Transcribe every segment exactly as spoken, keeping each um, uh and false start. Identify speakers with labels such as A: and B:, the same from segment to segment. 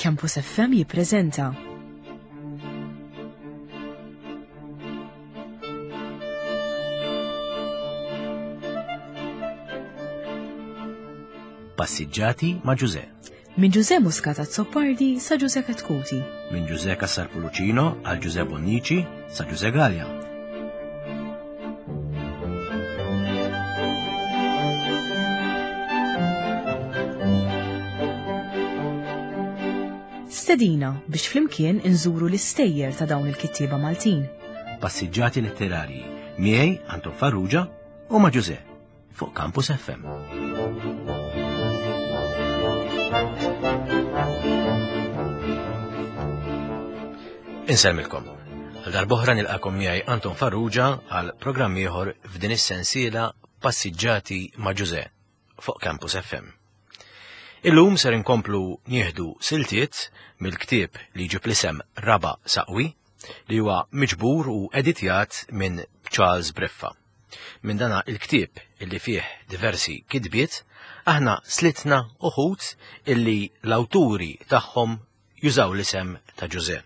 A: Campus F M jippreżenta
B: Passiġġati ma' Ġuże.
A: Minn Ġuże Muscat Azzopardi sa Ġuże Chetcuti.
B: Minn Ġuże Cassar Pullicino għal Ġuże Bonnici sa Ġuże Galea.
A: Stedina biex flimkien inżuru l-istejjer ta' dawn il-kittieba Maltin.
B: Passiġġati letterarji miegħi Anton Farrugia u ma' Ġuże fuq Campus F M. Insellmilkom. Għal darb'oħra nilqakom miegħi Anton Farrugia għal programm ieħor f'din is-sensiela Passiġġati ma' Ġuże fuq Campus F M. Illum ser inkomplu nieħdu siltiet mill-ktieb li jġib l-isem Raba' Saqwi, li huwa miġbur u editjat minn Charles Briffa. Minn dana il-ktieb illi fih diversi kitbiet, aħna slitna uħud illi l-awturi tagħhom jużaw l-isem ta' Ġuże.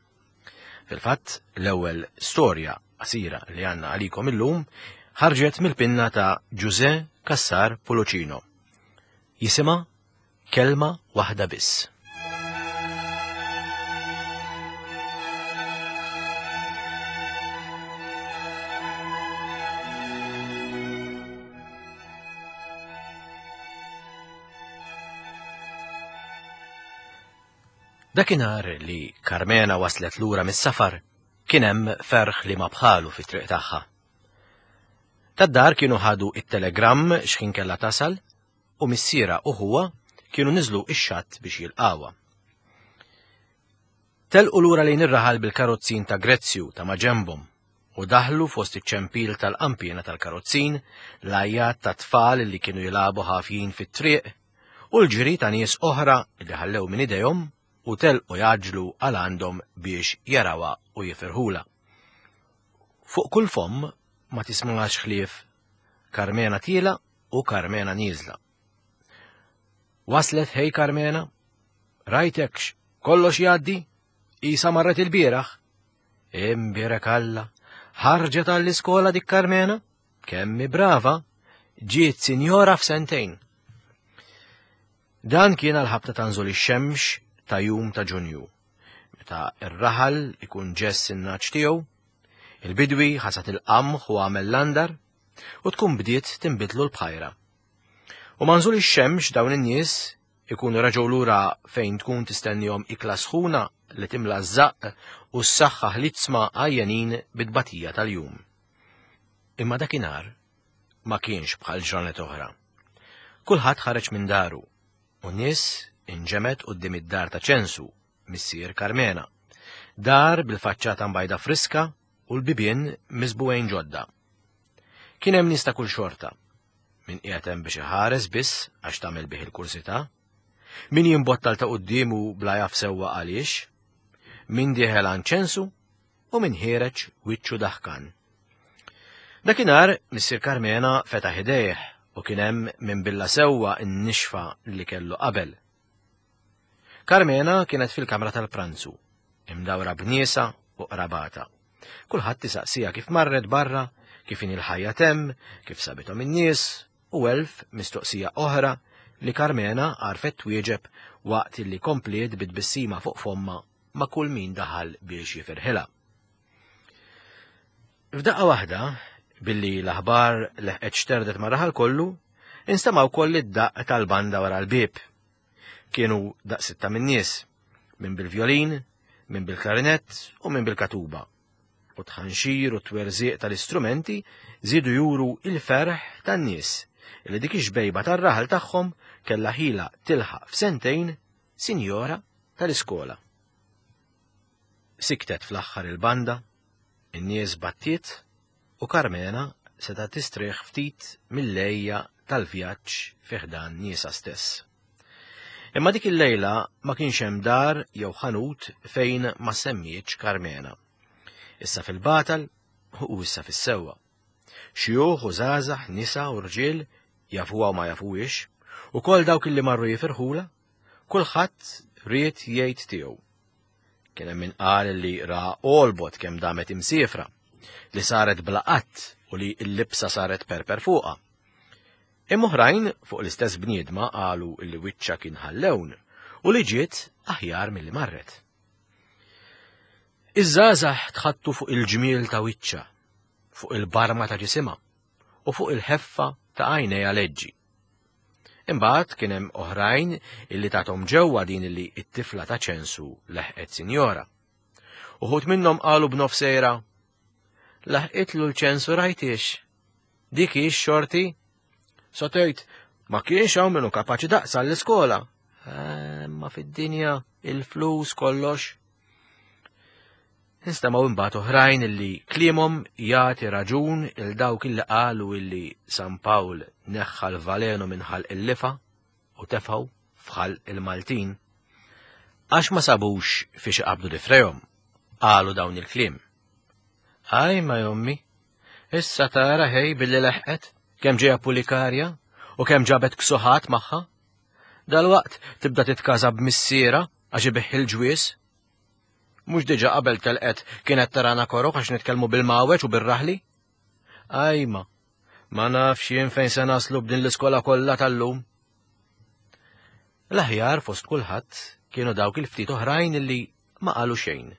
B: Fil-fatt, l-ewwel storja qasira li għandna għalikom illum ħarġet mill-pinna ta' Ġuże Cassar Pullicino. Jisimha Kelma Waħda Biss. Dakinhar li Carmena waslet lura mis-safar, kien hemm ferħ li ma bħalu fit-triq tagħha. Tad-dar kienu ħadu it-telegramm x'ħin kellha tasal u missiera u ħuha kienu niżlu ix-xatt biex jilqawha. Telqu lura lejn ir-raħal bil-karozzin ta' Grezzju ta' maġenbhom u daħlu fost iċ-ċempil tal-qampiena tal-karozzin, l-għajjat ta' tfal li kienu jilagħbu ħafjin fit-triq u l-ġiri ta' nies oħra li ħallew minn idejhom u telqu jaġlu għal għandhom biex jarawha u jifirħula. Fuq kull fomm ma tismax ħlief Carmena tiela u Carmena nieżla. Waslet ħej Carmena, rajtekx, kollox jgħaddi, isa marret il-bieraħ. Imbierek Alla, ħarġet għall-iskola dik Carmena, kemmi brava, ġiet sinjora f'sentejn. Dan kien għal-ħabta ta' nżul ix-xemx ta' jum ta' Ġunju, meta r-raħal ikun ġess in-naċ tiegħu, il-bidwi ħasat il-qamħ u għamel l-andar, u tkun bdiet tinbidlu l-bħajra. U ma' nżul ix-xemx dawn in-nies ikunu reġgħu lura fejn tkun tistennihom ikla sħuna li timla ż-żaqq u s-saħħa ħlitzma għajjenin bit-tbatija tal-jum. Imma dakinhar ma kienx bħal ġranet oħra. Kulħadd ħareġ minn daru u nies inġemet quddiem id-dar ta' Ċensu, missier Carmena. Dar bil-faċċata mbajda friska u l-bibien miżbugħin ġodda. Kien hemm nies ta' kull xorta. Min qiegħed hemm biex iħares biss għax tagħmel bih il-kursità, min jimbottal ta' quddiemu bla jaf sewwa għaliex, min dieħel għand Ċensu u min ħiereġ wiċċu daħkan. Dakinhar missier Carmena fetaħ idejh u kien hemm min billa sewwa n-nixfa li kellu qabel. Carmena kienet fil-kamra tal-pranzu, imdawra b'niesa u qrabata. Kulħadd tisaqsija kif marret barra, kif inhi l-ħajja temm, kif sabithom in-nies, u elf mistoqsija oħra li Carmena għarfet twieġeb waqt li kompliet bit-tbissima fuq fomma ma' kull min daħal biex jifirħilha. F'daqqa waħda, billi l-aħbar leħqet xterdet ma' raħal kollu, instema' wkoll id-daqq tal-banda wara l-bieb. Kienu daqs sitta min-nies, min bil-violin, min bil-klarinett u min bil-katuba. U tħanxir u twerżiq tal-istrumenti żiedu juru il-ferħ tan-nies li dik ix-xbejba tar-raħal tagħhom kellha ħila tilħaq f'sentejn sinjora tal-iskola. Siktet fl-aħħar il-banda, in-nies battiet u Carmena seta' tistrieħ ftit mill-lejja tal-vjaġġ fi ħdan niesa stess. Imma dik il-lejla ma kienx hemm dar jew ħanut fejn ma semmietx Carmena. Issa fil-batal u issa fis-sewwa. Xjuħ u żgħażagħ, nisa u rġiel, jafuha u ma jafuhiex, u kol dawk illi marru jifirħula, kulħadd ried jgħid tiegħu. Kien hemm min qal li ra olbot kemm damet imsiefra, li saret bla qatt u li l-libsa saret perper fuqha. Imma oħrajn fuq l-istess bniedma qalu li wiċċha kien ħallewn u li ġiet aħjar milli marret. Iż-żgħażagħ tħattu fuq il-ġmiel ta' wiċċha, fuq il-barma ta' ġisimha u fuq il-ħeffa ta' għajnejha leġġi. Imbagħad kien hemm oħrajn illi tathom ġewwa din illi t-tifla ta' ċensu leħqet sinjora. Uħud minnhom qalu b'nofsejra, laħqitlu l-ċensu rajtix. Dik hi x-xorti? Sotejt, ma kienx hawn minnu kapaċi daqsa l-iskola. Ma fid-dinja il-flus kollox. Nistamaw imbagħad oħrajn illi kliemhom jagħti raġun il dawk illi qalu illi San Pawl neħħa l-valenu minn ħalq il-lifa u tefgħu f'ħalq il-Maltin. Għax ma sabux fiex iqabdu difrejhom, qalu dawn il-kliem. Aj ma jommi, issa tara ħej billi leħqet, kemm ġejja pulikarja u kemm ġabet ksuħat magħha. Dalwaqt tibda titkaża b'missiera għax ibiħ il-ġwies. Mhux diġà qabel telqet kienet tarana korok għax nitkellmu bil-mawweġ u bir-raħli? Ajma, ma nafx jien fejn se naslu b'din l-iskola kollha tal-lum. L-aħjar fost kulħadd kienu dawk il-ftit oħrajn illi ma qalu xejn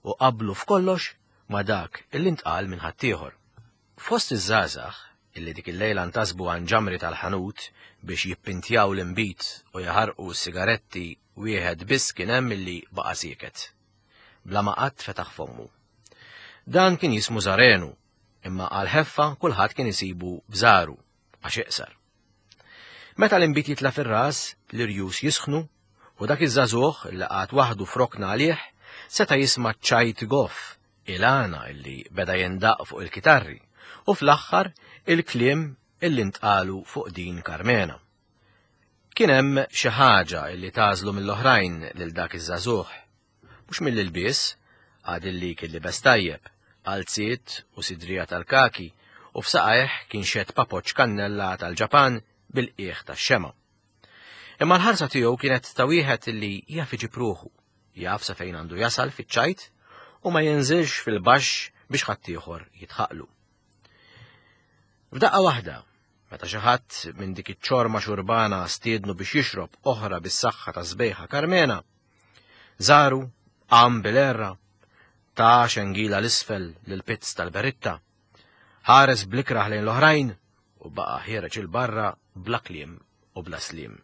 B: u qablu f'kollox ma dak illi ntqal minn ħaddieħor. Fost iż-żgħażagħ illi dik il-lejla ntasbu għan ġamri tal-ħanut biex jippintjaw l-imbit u jaħarqu s-sigaretti wieħed biss kien hemm illi baqa' sieket. Bla ma qatt fetaħ fommu. Dan kien jismu Zarenu, imma għal ħeffa kulħadd kien isibu bżaru għax iqsar. Meta l-imbit jitla' fir-ras, l-irjus jisħnu u dak iż-żagħżugħ li qagħad waħdu frokna għalih seta' jisma' ċajt goff il-għana illi beda jindaq fuq il-kitarri u fl-aħħar il-kliem illi ntqalu fuq din Karmena. Kien hemm xi ħaġa illi tażlu mill-oħrajn lil dak iż-żagħżugħ. Mhux mill-ilbies, għad illi kien libes tajjeb, qalziet u sidrija tal-kaki u f'saqajh kien xed papoċ kannella tal-Ġapan bil-qiegħ tax-xema. Imma l-ħarsa tiegħu kienet ta' wieħed illi jaf iġib ruħu, jaf sa fejn għandu jasal fiċ-ċajt u ma jinżilx fil-baxx biex ħaddieħor jitħaqlu. F'daqqa waħda, meta xi ħadd minn dik iċ-ċorma xurbana stiednu biex jixrob oħra bis-saħħa ta' sbejħa Karmena, Żaru qam bil-erra, ta' xengila l-isfel lil-pizz tal-beritta, ħares blikraħ lejn l-oħrajn u baqa' ħiereġ il-barra bla kliem u bla slim.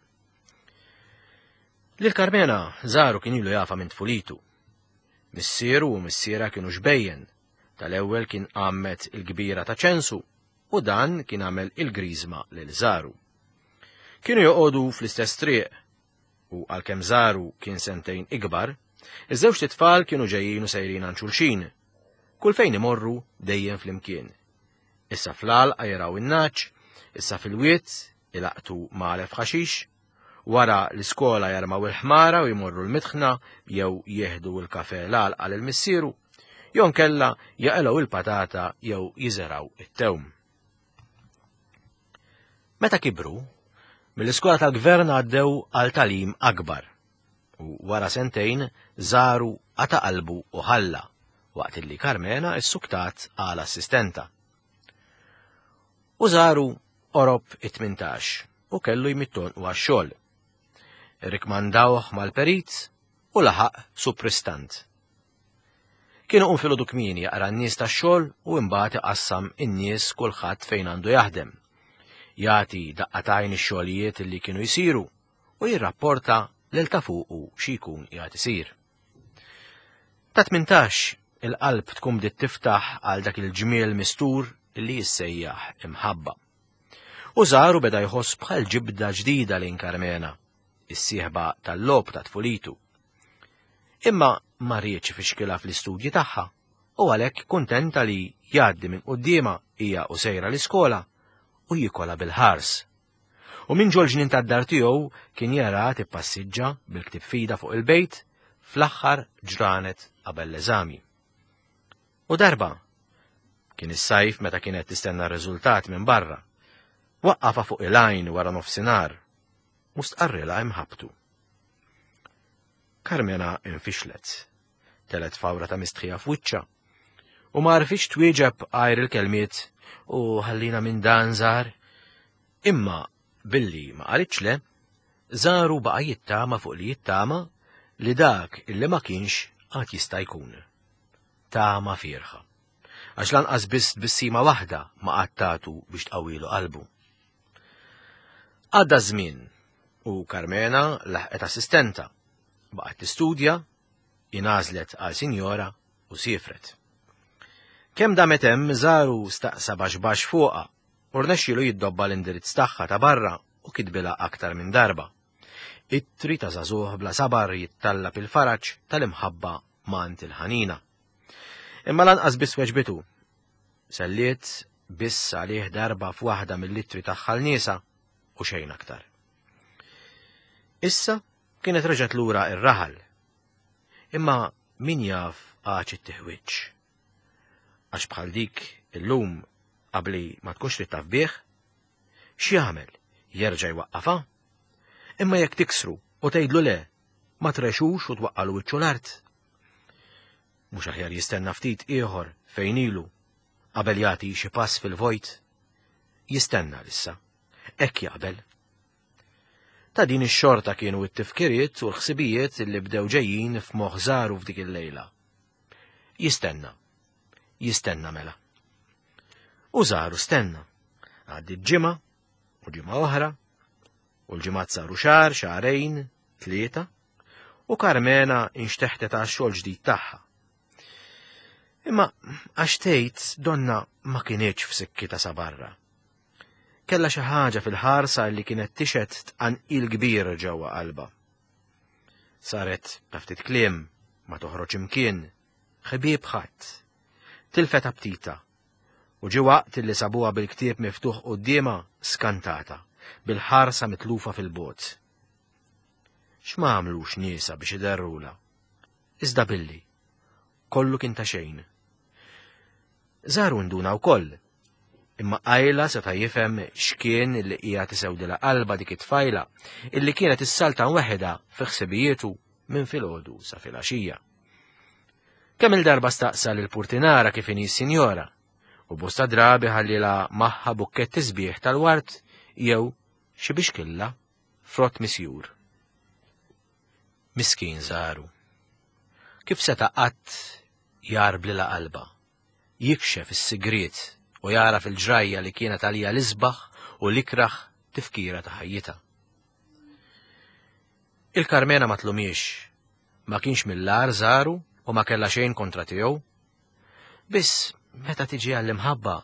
B: Lil Karmena Żaru kien ilu jafa minn tfulitu. Missieru u missiera kienu xbejjen, tal-ewwel kien għammet il-kbira ta' ċensu u dan kien għamel il-griżma lil Żaru. Kienu joqogħdu fl-istess triq u għalkemm Żaru kien sentejn ikbar, iż-żewġ tfal kienu ġejjin u sejrin għand xulxin, kull fejn imorru dejjem flimkien. Issa fl-għalqa jaraw in-naċ, issa fil-wied ilaqtu magħlef ħaxix, wara l-iskola jarmaw il-ħmara u jmorru l-mitħna jew jieħdu l-kafe l-għalqa lil missieru, jew nkella jaqilgħu il-patata jew jiżeraw it-tewm. Meta kibru, mill-iskola tal-gvern għaddew għal talim akbar u wara sentejn Żaru qata' qalbu u ħalla waqt illi Karmena issuktat għal assistenta. U Żaru qorob it-tmintax u kellu jmitton u għax-xogħol. Irrikmandawh mal-perit u laħaq supristant. Kienu qum filgħodu kmieni jaqra n-nies tax-xogħol u imbagħad iqassam in-nies kulħadd fejn għandu jaħdem. Jagħti daqqatajn ix-xogħlijiet li kienu jsiru u jirrapporta lil ta' fuqu xi jkun qiegħed isir. Ta' tmintax il-qalb tkun bdiet tiftaħ għal dak il-ġmiel mistur li jissejjaħ imħabba. U Żaru beda jħoss bħal ġibda ġdida lejn Karmena, is-sieħba tal-logħob ta' tfulitu. Imma ma riedx ifixkilha fl-istudji tagħha u għalhekk kuntenta li jgħaddi minn quddiemha hija u sejra l-iskola u jikola bil-ħars. U minn ġol-ġnien tad-dar tiegħu kien jara tippassiġġa bil-ktib fida fuq il-bejt fl-aħħar ġranet qabel l-eżami. U darba, kien is-sajf meta kienet tistenna r-riżultat minn barra, waqqafa fuq il-għajn wara nofsinhar u stqarrilha imħabtu. Karmena infixlet. Telgħet fawra ta' mistħija f'wiċċha. U ma għarfitx twieġeb għajr il-kelmiet u ħallina minn dan Żar. Imma billi ma qalitx le, Żaru baqa' jittama fuq li jittama li dak illi ma kienx għad jista' jkun. Tama fiergħa. Għax lanqas biss tbissima waħda ma qattatu biex tqawwilu qalbu. Għadda żmien u Karmena laħqet assistenta. Baqgħet tistudja, ingħażlet għal sinjora u siefret. Kemm damet hemm Żaru staqsa baxx baxx fuqha u rnexxielu jiddobba l-indirizz tagħha ta' barra u kitbilha aktar minn darba. Ittri ta' żagħżugħ bla sabar jittallab il-faraġ tal-imħabba mingħand il-ħanina. Imma lanqas biss weġbitu. Selliet biss għalih darba f'waħda mill-ittri tagħha 'l niesha u xejn aktar. Issa kienet reġgħet lura ir-raħal. Imma min jaf għax it-tiħwiġ. Għax bħal dik illum qabli ma tkunx trid taf bih, x'jagħmel? Jerġa' jwaqqafha? Imma jekk tiksru u tgħidlu le, ma trexux u twaqqalu wiċċu l-art. Mhux aħjar jistenna ftit ieħor fejn ilu qabel jagħti xi pass fil-vojt. Jistenna issa. Hekk jaqbel. Ta' din ix-xorta kienu t-tifkiriet u l-ħsibijiet li bdew ġejjin f'moħħ Żaru f'dik il-lejla. Jistenna. Jistenna mela. U Żaru stenna. Għaddiet ġimgħa u ġimgħa oħra, u l-ġimgħat saru xahar, xahrejn, tlieta, u Karmena inxteħtet għax-xogħol ġdid tagħha. Imma għax tgħid donna ma kinitx f'sikkitha sa barra. Kella xi ħaġa fil-ħarsa li kienet tixhed tqanqil kbir ġewwa qalbha. Saret ta' ftit kliem, ma toħroġ imkien, ħbieb ħadd. Tilfet aptitha. U ġie waqt li sabuha bil-ktieb miftuħ quddiemha skantata, bil-ħarsa mitlufa fil-bogħod. X'ma għamlux niesha biex iderrula? Iżda billi, kollu kien ta' xejn. Żaru nduna wkoll, imma qajla seta' jifhem x'kien li qiegħed isewdilha qalbha dik it-tfajla illi kienet issaltan weħidha fi ħsibijietu minn filgħodu sa filgħaxija. Kemm il-darba staqsa lil Purtinara kif inhi s-sinjora, u bosta drabi ħallielha magħha bukketti sbieħ tal-ward jew xi bixkilla frott misjur. Miskin Żaru. Kif seta' qatt jgħarblilha qalbha, jikxef is-sigriet u jara fil-ġrajja li kienet għalija l-isbaħ u l-ikraħ tifkira ta' ħajjitha. Il-Karmena ma tlumiex, ma kienx mill-agħar Żaru u ma kellha xejn kontra tiegħu. Biss meta tiġi għall-imħabba,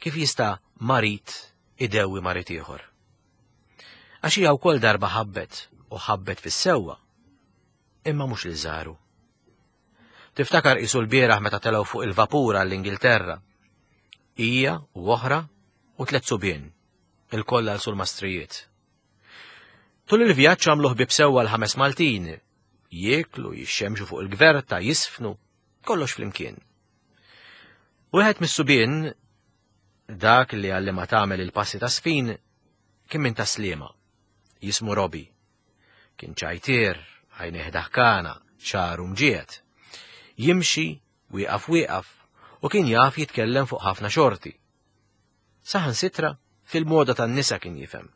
B: kif jista' marid idewwi marid ieħor? Għax hija wkoll darba ħabbet u ħabbet fis-sewwa, imma mhux lil Żaru. Tiftakar qisu l-bieraħ meta telgħu fuq il-vapura l-Ingilterra. Hija u oħra u tliet subien, ilkoll għal sul-mastrijiet. Tul il-vjaġġ għamlu ħbieb sewwa l-ħames Maltin, jieklu, jixxemxu fuq il-gverta, jisfnu, kollox flimkien. Wieħed mis-subien, dak li għallimha tagħmel il-passi ta' sfin, kien minn Tas-Sliema, jismu Robi. Kien ċajtier, għajnejh daħkana, xagħru mġiegħed. Jimxi, wieqaf wieqaf, u kien jaf jitkellem fuq ħafna xorti. Saħansitra fil-moda tan-nisa kien jifhem.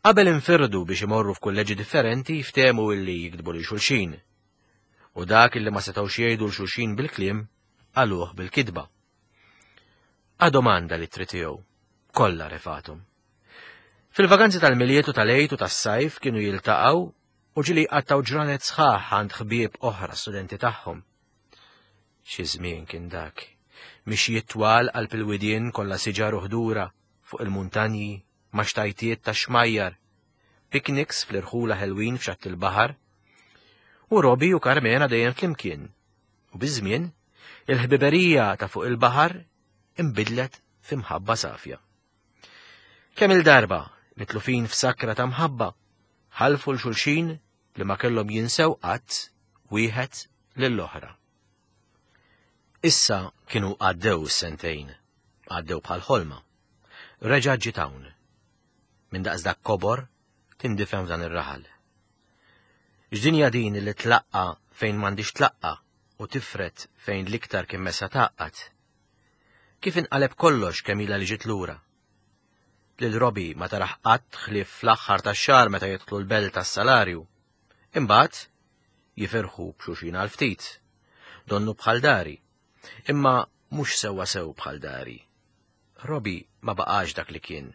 B: Qabel infirdu biex imorru f'kulleġġi differenti ftehmu illi jiktbu lil xulxin. U dak illi ma setgħux jgħidu 'l xulxin bil-kliem qaluh bil-kitba. Għadhom għandha l-ittri tiegħu, kollha refathom. Fil-vaganzi tal-Milied u tal-Għid u tas-sajf kienu jiltaqgħu u ġieli qattgħu ġranet sħaħ għand ħbieb oħra studenti tagħhom. Xi żmien kien dak, mixjiet twal qalb il-widien kollha siġar u ħdura fuq il-muntanji, ma' xtajtiet ta' xmajjar, picnics fl-irħula ħelwin f'xatt il-baħar, u Robi u Karmena dejjem flimkien. U biż-żmien, il-ħbiberija ta' fuq il-baħar imbidlet f'imħabba safja. Kemm il-darba mitlufin f'sakra ta' mħabba, ħalfu 'l xulxin li ma kellhom jinsew qatt wieħed lill-oħra. Issa kienu għaddew is-sentejn, għaddew bħal ħolma. Reġa' ġiet hawn. Minn daqs dak kobor tindifem f'dan ir-raħal. X'dinja din li tlaqqa fejn m'għandix tlaqqa u tifret fejn l-iktar kien messa taqqat. Kif inqaleb kollox kemm ilha li ġiet lura. Lil Robbie ma taraħ qatt ħlief fl-aħħar tax-xahar meta jidħlu l-belt tas-salarju. Imbagħad jifirħu b'xulxin għal ftit. Donnu bħal dari. Imma mhux sewwa sew bħal dari. Robbie ma baqax dak li kien.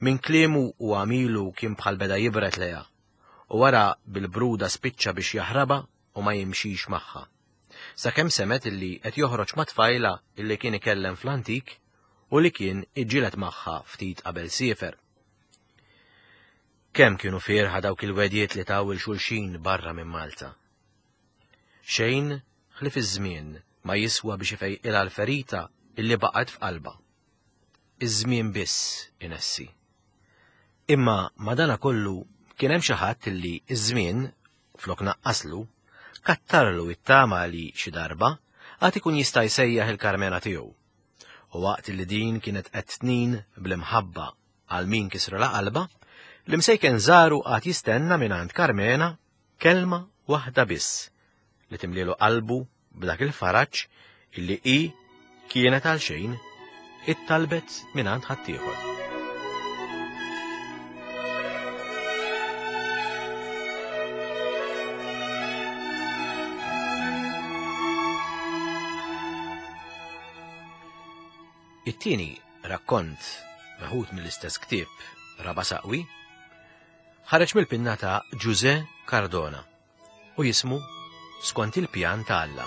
B: Min kliemu u għamilu kien bħal beda jibret leja, u wara bil-bruda spiċċa biex jaħraba u ma jimxix magħha. Sakemm semet illi qed joħroġ ma' tfajla illi kien ikellem fl-antik u li kien iġġieled magħha ftit qabel siefer. Kemm kienu fierħa dawk il-wedjiet li taw il-xulxin barra minn Malta. Xejn ħlief iż-żmien ma jiswa biex ifejqilha l-ferita illi baqgħet f'qalba. Iż-żmien biss inessi. Imma madana kollu kien hemm xi ħadd illi iż-żmien flok naqqaslu kattarlu it-tama li xi darba għad ikun jista' jsejjaħ il-Karmena tiegħu. U waqt li din kienet qed tnin bl-imħabba għal min kisrulha qalba, l-imsejken żaru għad jistenna mingħand Karmena kelma waħda biss li timlielu qalbu b'dak il-faraġ illi hi kienet għal xejn ittalbet mingħand ħaddieħor. It-tieni rakkont meħud mill-istess ktieb Raba' Saqwi ħareġ mill-pinna ta' Ġużè Cardona u jismu Skont il-pjan ta' Alla.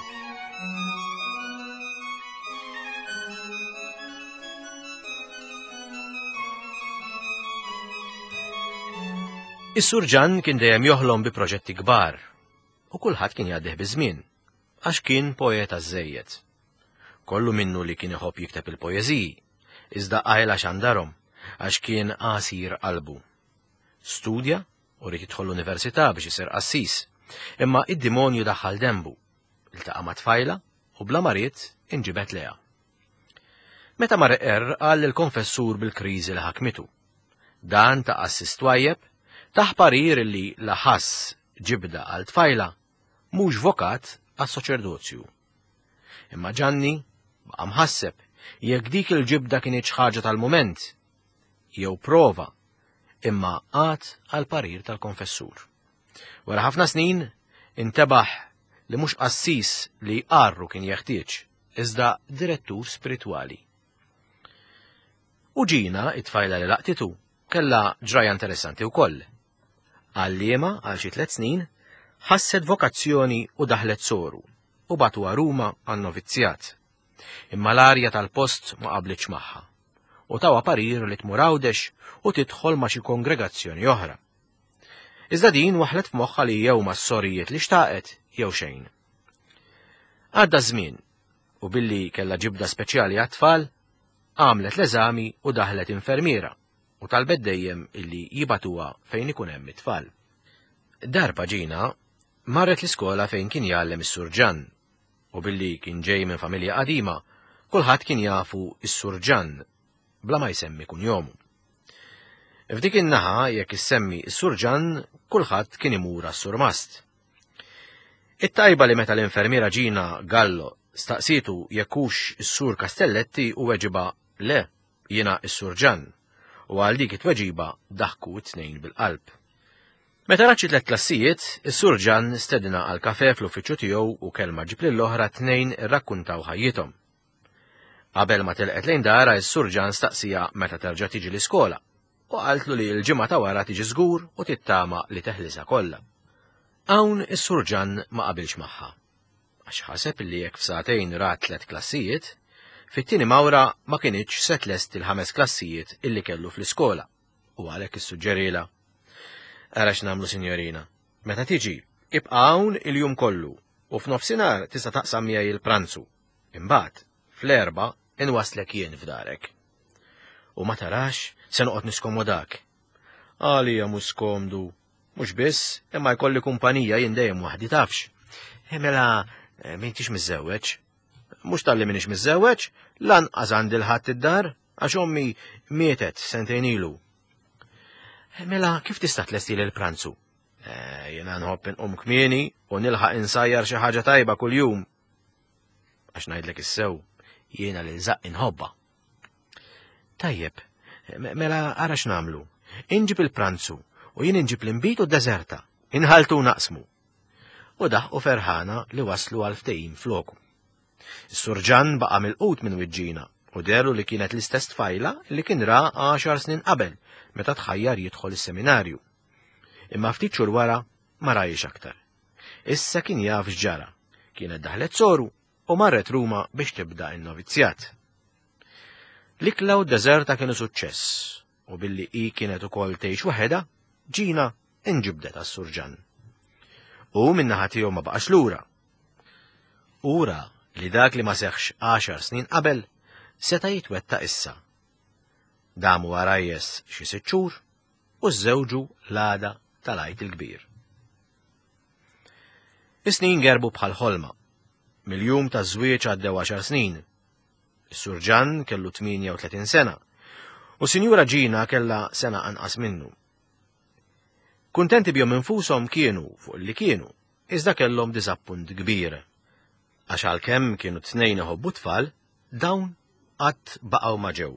B: Is-Sur Ġann kien dejjem joħlom bi proġetti kbar u kulħadd kien jgħaddih biż-żmien għax kien poeta żejjed. Kollu minnu li kien iħobb jikteb il-poeżiji, iżda qajla xandarhom għax kien qasir qalbu. Studja u ried jidħol l-università biex isir qassis, imma id-dimonju daħħal dembu, iltaqa' ma' tfajla u bla ma ried inġibet leha. Meta mar iqerr qal lill-konfessur bil-kriżi li ħakmitu. Dan ta' qassis twajjeb taħ parir li la ħass ġibda għal tfajla mhux vokat għas-soċerdozju. Imma Ġanni baqa' mħasseb jekk dik il-ġibda kienet ħaġa tal-mument jew prova, imma qagħad għal parir tal-konfessur. Wara ħafna snin intebaħ li mhux qassis li jqarru kien jeħtieġ, iżda direttur spiritwali. U Ġina, it-tfajla li laqtitu, kellha ġraja interessanti wkoll. Għalliema għal xi tliet snin ħasset vokazzjoni u daħlet soru u bagħtuha Ruma għan-novizzjat. Imma l-arja tal-post ma qablitx magħha u tawha parir li tmur Għawdex u tidħol ma' xi kongregazzjoni oħra. Iżda din waħlet f'moħħha li jew mas-sorijiet li xtaqet jew xejn. Għadda żmien u billi kellha ġibda speċjali għat-tfal, għamlet l-eżami u daħlet infermiera u talbet dejjem illi jibatuha fejn ikun hemm it-tfal. Darba Ġina marret l-iskola fejn kien jgħallem is-Sur Ġann u billi kien ġej minn familja qadima, kulħadd kien jafu is-Sur Ġann bla ma jsemmi kunjomu. F'dik in-naħa jekk issemmi is-Sur Ġann, kulħadd kien imur għas-surmast. It-tajba li meta l-infermiera Ġina Gallo staqsitu jekk hux is-Sur Castelletti u weġiba le, jiena is-Sur Ġann, u għal dik it-tweġiba daħku t-tnejn bil-qalb. Meta rat xi tliet klassijiet, is-Sur Ġann stedina għal kafe fl-uffiċċju tiegħu u kelma ġib lill-oħra tnejn irrakkuntaw ħajjithom. Qabel ma telqet lejn dara, is-Sur Ġann staqsija meta terġa' tiġi l-iskola u qaltlu li l-ġimgħa ta' wara tiġi żgur u tittama li teħlisha kollha. Hawn is-Sur Ġann ma qabilx magħha, għax ħaseb li jekk f'sagħtejn rat tliet klassijiet, fit-tieni mawra ma kinitx se tlest il-ħames klassijiet illi kellu fl-iskola, u għalhekk issuġġerila. Ara x'nagħmlu, sinjorina, meta tiġi, ibqa' hawn il-jum kollu u f'nofsinhar tista' taqsam miegħi il-pranzu. Imbagħad, fl-erba' inwaslek jien f'darek. U ma tarax se noqgħod niskomodak. Għalija mhux skomdu, mhux biss, imma jkolli kumpanija jien dejjem waħdi tafx. Mela m'intix miżżewweġ. Mhux talli m'iniex miżżewweġ, lanqas għandi l-ħadd id-dar, għax ommi mietet sentejn ilu. Mela kif tista' tlesti l-pranzu? Eh, jiena nħobb inqum kmieni u nilħaq insajjar xi ħaġa tajba kuljum. Għax ngħidlek is-sew, jiena lil żaqq inħobbha. Tajjeb, mela ara x'nagħmlu. Inġib il-pranzu u jien inġib l-inbid u d-deżerta. Inħaltu naqsmu. U daħqu ferħana li waslu għal ftehim floku. Is-surġan baqa' milqut minn wiġġina u deru li kienet l-istess tfajla li kien ra għaxar snin qabel meta tħajjar jidħol is-seminarju. Imma ftit xhur wara ma rajx aktar. Issa kien jaf x'ġara. Kienet daħlet soru u marret Ruma biex tibda n-novizzjat. L-ikla u d-deżerta kienu suċċess u billi hi kienet ukoll tgħix waħedha, Ġina inġibdet għas-surġan. U min-naħa tiegħu ma baqax lura. Ura li dak li ma seħħx għaxar snin qabel seta' jitwettaq issa. Damu għarajjes xi sitt xhur u żżewġu l-għada tal-Għid il-Kbir. Is-snin gerbu bħal ħolma. Mill-jum taż-żwieġ għaddew għaxar snin. Is-surġan kellu tmienja u tletin sena u Sinjura Ġina kellha sena anqas minnu. Kuntenti bihom infushom kienu fuq li kienu, iżda kellhom diżappunt kbir. Għax għalkemm kienu tnejn iħobbu tfal, dawn qatt baqgħu ma ġew.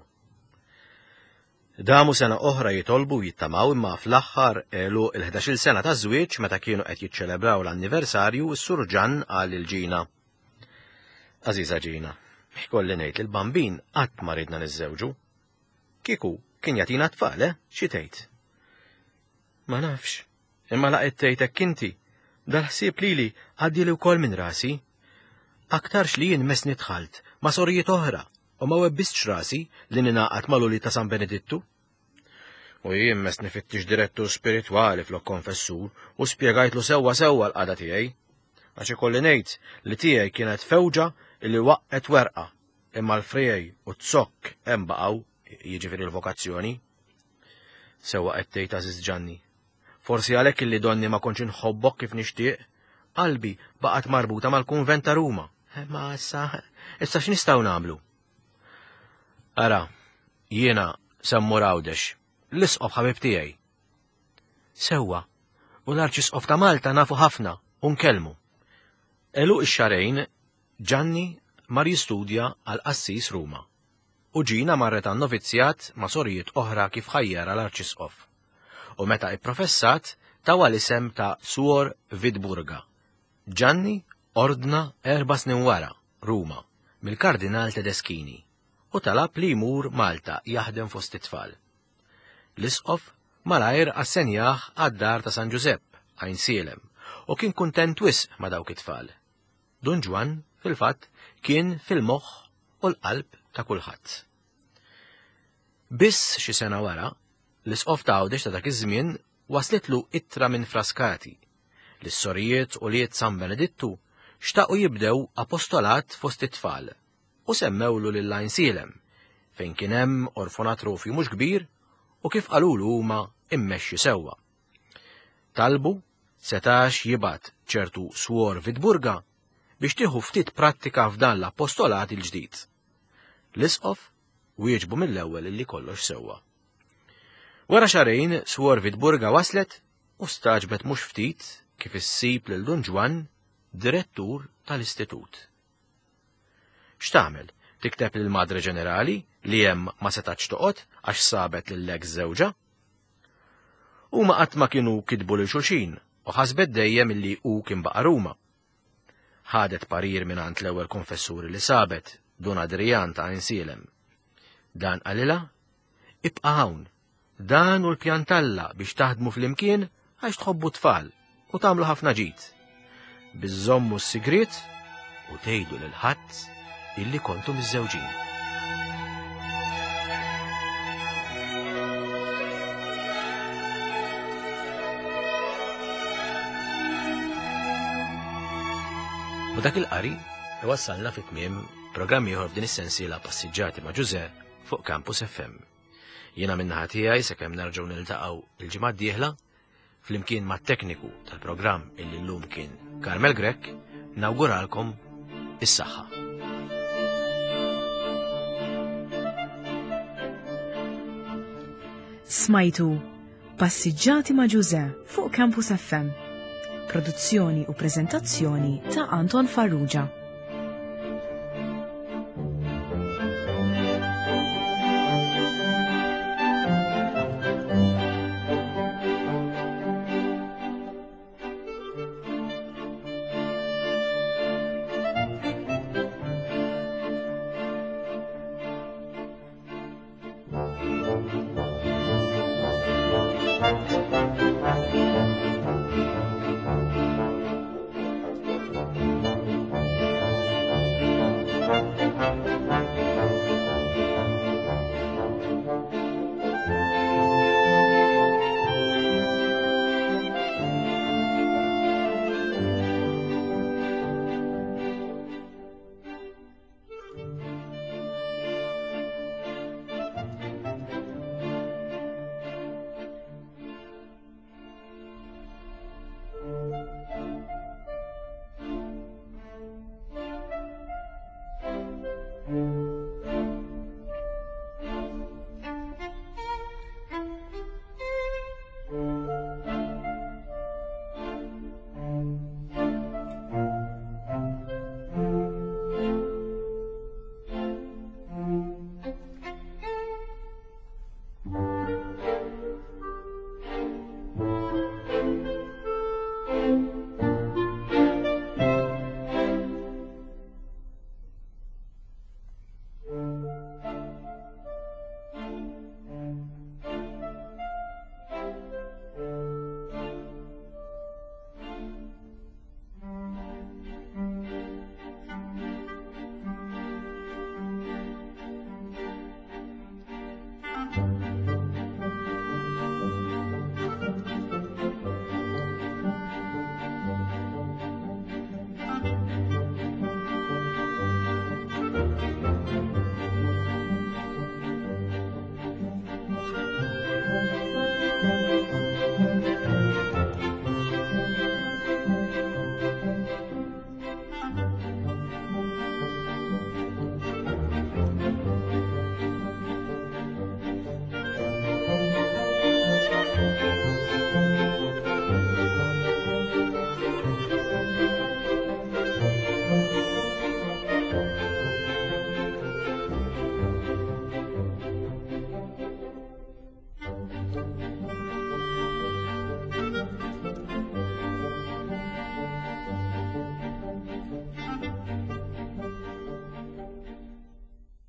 B: Damu sena oħra jitolbu jittamaw imma fl-aħħar għeluq il-ħdax-il sena ta' żwieġ meta kienu qed jiċċelebraw l-anniversarju s-surġan qal lil Ġina. Għażiża Ġina, ikolli ngħid li l-bambin qatt ma ridna niżżewġu. Kieku kien jagħtina tfal, eh? Xi tgħid? Ma nafx, imma laqgħet tgħid hekk inti, dal-ħsieb lili għaddieli wkoll minn rasi. Aktarx li jien mesni dħalt ma' sorijiet oħra u ma webbistx rasi li ninaqat mal-ulied ta' San Benedittu. U jien mesni fittix direttur spiritwali flok konfessur u spjegajtlu sewwa sewwa l-qagħda tiegħi. Għax ikolli ngħid li tiegħi kienet fewġa li waqqet werqa, imma l-friegħi u t-zokk hemm baqgħu, jiġifieri l-vokazzjoni. Sewwa qed tgħid Għażiż Ġanni. Forsi għalhekk illi donni ma kontx inħobbok kif nixtieq, qalbi baqgħet marbuta mal-kunvent ta' Ruma. Ma issa, issa x'nistgħu nagħmlu? Ara, jiena semmur Għawdex, l-isqof ħabib tiegħi. Sewwa, u l-Arċisqof ta' Malta nafu ħafna u nkellmu. Għeluq ix-xahrejn, Ġanni mar jistudja għal qassis Ruma. U Ġina marret għan novizzjat ma' sorijiet oħra kif ħajjara l-Arċisqof. U meta ipprofessat tawa l-isem ta' Suor Vidburga. Ġanni ordna erba' snin wara, Ruma, mill-Kardinal Tedeschini, u talab li jmur Malta jaħdem fost it-tfal. L-isqof malajr assenjah għad-dar ta' San Ġużepp, Għajnsielem, u kien kuntent wisq ma' dawk it-tfal. Dun Ġwann, fil-fatt, kien fil-moħħ u l-qalb ta' kulħadd. Biss xi sena wara, l-isqof ta' Għawdex ta' dak iż-żmien waslitlu ittra minn Frascati li s-sorijiet u liet San Benedittu xtaqu jibdew apostolat fost it-tfal u semmewlu lil Għajnsielem fejn kien hemm orfonatrofju mhux kbir u kif qalulu huma immexxi sewwa. Talbu setax jibgħat ċertu Swor Vidburga biex tieħu ftit prattika f'dan l-apostolat il-ġdid. L-isqof wieġbu mill-ewwel illi kollox sewwa. Wara xahrejn Swor Vidburga waslet u staġbet mhux ftit kif issib lil Dun Ġwann direttur tal-istitut. X'tagħmel? Tikteb lil Madre Ġenerali li hemm ma setax toqgħod għax sabet lil-ex żewġha? Huma qatt ma kienu kitbu lil xulxin u ħasbet dejjem illi hu kien baqa' Ruma. Ħadet parir mingħand l-ewwel konfessuri li sabet, Dun Adrian ta' Għajnsielem. Dan qalilha, ibqa' hawn, dan hu l-pjan t'Alla biex taħdmu flimkien għax tħobbu tfal u tagħmlu ħafna ġid. Biżżommu s-sigriet u tgħidu lil ħadd illi kontu miżżewġin. U dak il-qari iwassalna fi tmiem programm ieħor f'din is-sensiela Passiġġati ma' Ġużè fuq Campus F M. Jiena min-naħa tiegħi sakemm nerġgħu niltaqgħu il-ġimgħa d-dieħla flimkien mat-tekniku tal-programm illi llum kien Carmel Grech, nawguralkom is-saħħa.
A: Smajtu Passiġġati ma' Ġuże fuq Campus F M. Produzzjoni u preżentazzjoni ta' Anton Farrugia.